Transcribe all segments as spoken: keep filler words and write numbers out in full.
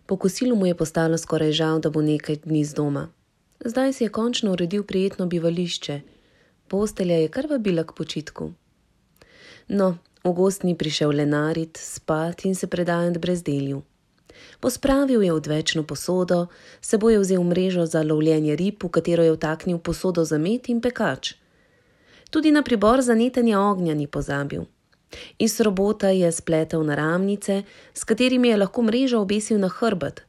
Po kosilu mu je postalo skoraj žal, da bo nekaj dni z doma. Zdaj si je končno uredil prijetno bivališče. Postelja je kar vabila k počitku. No, v gozd ni prišel lenarit, spat in se predajati brezdelju. Pospravil je odvečno posodo, seboj je vzel mrežo za lovljenje rib, v katero je vtaknil posodo za med in pekač. Tudi na pribor za netenje ognja ni pozabil. Iz robota je spletel naramnice, s katerimi je lahko mrežo obesil na hrbet.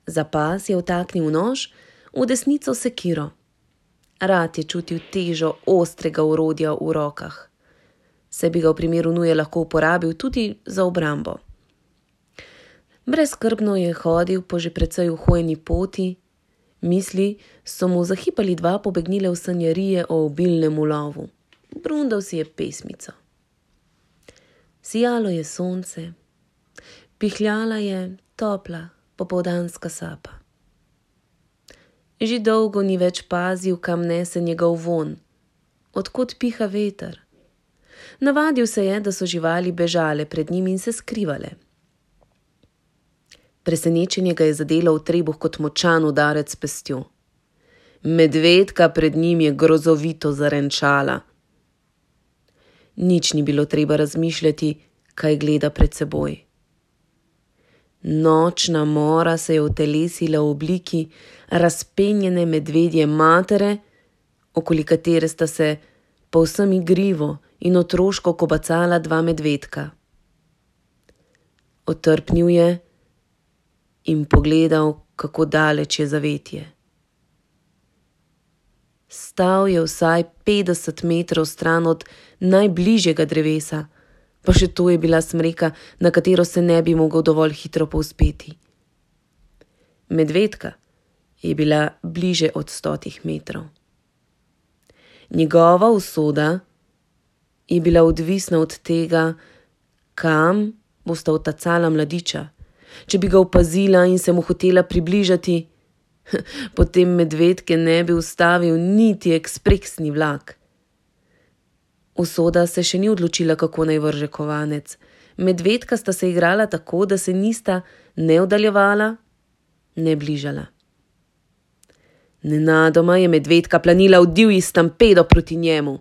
Za pas je vtaknil nož, v desnico sekiro. Rad je čutil težo ostrega orodja v rokah. Se bi ga v primeru nuje lahko uporabil tudi za obrambo. Brezskrbno je hodil po že precej uhojeni poti, misli so mu zahipali dva pobegnile v sanjarije o obilnem ulovu. Brundal si je pesmico. Sijalo je sonce, pihljala je topla popoldanska sapa. Že dolgo ni več pazil, kam nese njegov von, odkot piha veter. Navadil se je, da so živali bežale pred njim in se skrivale. Presenečenje ga je zadelo v trebuh kot močan udarec s pestjo. Medvedka pred njim je grozovito zarenčala. Nič ni bilo treba razmišljati, kaj gleda pred seboj. Nočna mora se je utelesila v obliki razpenjene medvedje matere, okoli katere sta se povsem igrivo in otroško kobacala dva medvedka. Otrpnil je in pogledal, kako daleč je zavetje. Stal je vsaj petdeset metrov stran od najbližjega drevesa, pa še to je bila smreka, na katero se ne bi mogel dovolj hitro povzpeti. Medvedka je bila bliže od stotih metrov. Njegova usoda je bila odvisna od tega, kam bosta odtacala mladiča. Če bi ga opazila in se mu hotela približati, potem medvedke ne bi ustavil niti ekspresni vlak. Usoda se še ni odločila, kako naj vrže kovanec. Medvedka sta se igrala tako, da se nista ne oddaljevala, ne bližala. Nenadoma je medvedka planila v divji stampedo proti njemu.